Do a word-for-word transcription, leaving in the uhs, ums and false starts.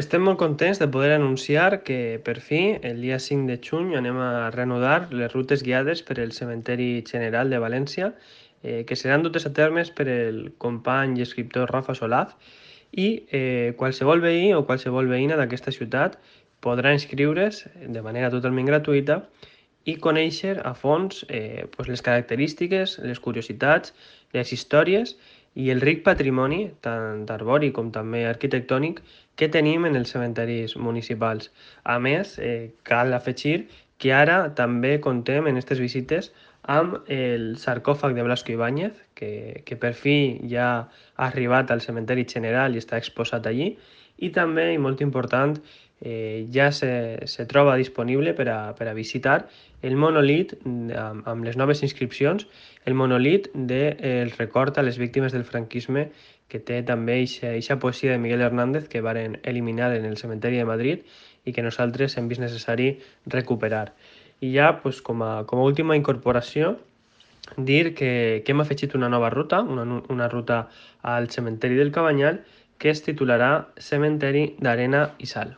Estem molt contents de poder anunciar que, per fi, el dia cinc de juny anem a reanudar les rutes guiades per el Cementeri General de València, eh, que seran dutes a termes per el company i escriptor Rafa Solaz, i eh, qualsevol veí o qualsevol veïna d'aquesta ciutat podrà inscriure's de manera totalment gratuïta i conèixer a fons eh, pues les característiques, les curiositats, les històries i el ric patrimoni, tant arbori com també arquitectònic, que tenim en els cementaris municipals. A més, eh, cal afegir que ara també contem en aquestes visites amb el sarcòfag de Blasco Ibáñez, que, que per fi ja ha arribat al cementeri general i està exposat allí, i també, i molt important, eh, ja se, se troba disponible per a, per a visitar el monolit, amb, amb les noves inscripcions, el monolit del de, record a les víctimes del franquisme, que té també eixa poesia de Miguel Hernández que varen eliminar en el cementeri de Madrid i que nosaltres hem vist necessari recuperar. I ja, pues, com, a, com a última incorporació, dir que, que hem afegit una nova ruta, una, una ruta al cementeri del Cabanyal, que es titularà Cementeri d'Arena i Sal.